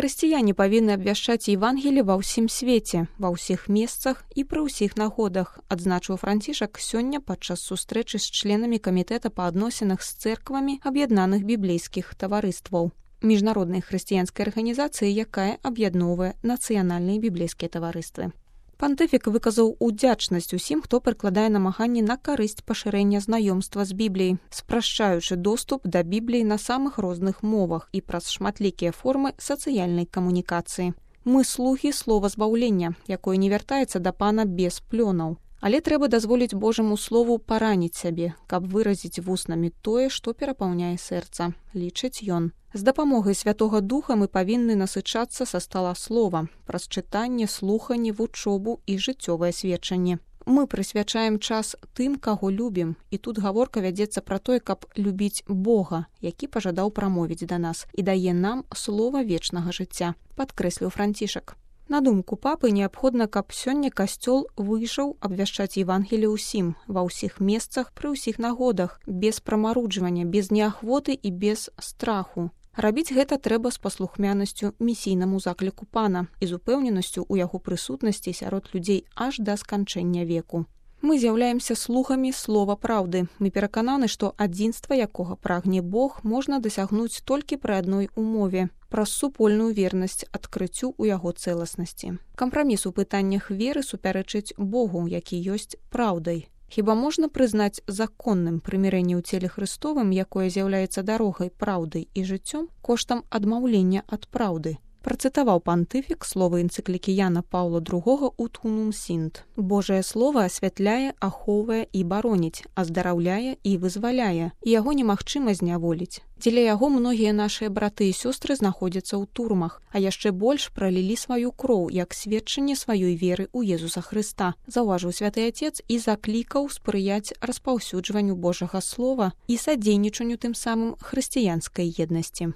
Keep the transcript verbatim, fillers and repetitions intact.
Хрысціяне павінны абвяшчаць Евангелие ва ўсім свеце, ва ўсіх месцах і пры ўсіх нагодах, адзначыў Францішак сёння падчас сустрэчы з членамі камітэта па адносінах з цэрквамі аб'яднаных біблейскіх таварыстваў, міжнароднай хрысціянскай арганізацыі, якая аб'ядноўвае нацыянальныя біблейскія таварыствы. Пантыфік выказаў удзячнасць усім, хто прыкладае намаганні на карысць пашырэння знаёмства з Бібліяй, спрашчаючы доступ да Бібліі на самых розных мовах і праз шматлікія формы сацыяльнай камунікацыі. Мы слугі слова збаўлення, якое не вяртаецца да пана без плёнаў. Але трэба дазволіць Божаму слову параніць сябе, каб выразіць вуснамі тое, што перапаўняе сэрца, лічыць ён. З дапамогай Святога Духа мы павінны насычацца са стала слова, праз чытанне, слуханне, вучобу і жыццёвае сведчанне. Мы прысвячаем час тым, каго любім, і тут гаворка вядзецца пра тое, каб любіць Бога, які пажадаў прамовіць да нас і дае нам слова вечнага жыцця, падкрэсліў Францішак. На думку папы, неабходна, каб сёння касцёл выйшаў абвяшчаць Евангелие ўсім, ва ўсіх месцах, пры ўсіх нагодах, без прамаруджвання, без неахвоты і без страху. Рабіць гэта трэба з паслухмянасцю місійнаму закліку пана і з упэўненасцю ў яго прысутнасці сярод людзей аж да сканчэння веку. Мы з'яўляемся слугамі слова праўды. Мы перакананы, што адзінства, якога прагне Бог, можна дасягнуць толькі пры адной умове – праз супольную вернасць адкрыццю ў яго цэласнасці. Кампраміс у пытаннях веры супярэчыць Богу, які ёсць праўдай. Хіба можна прызнаць законным прымірэнне ў целе Хрыстовым, якое з'яўляецца дарогай, праўдай і жыццём, коштам адмаўлення ад праўды? Працытаваў пантыфік словы энцыклікі Яна Паўла другога «Ut unum sint». Божае слова асвятляе, ахоўвае і бароніць, аздараўляе і вызваляе, і яго немагчыма зняволіць. Дзеля яго многія нашыя браты і сёстры знаходзяцца ў турмах, а яшчэ больш пралілі сваю кроў, як сведчанне сваёй веры ў Езуса Хрыста, заўважыў святы Атец і заклікаў спрыяць распаўсюджванню Божага слова і садзейнічанню тым самым хрысціянскай еднасці.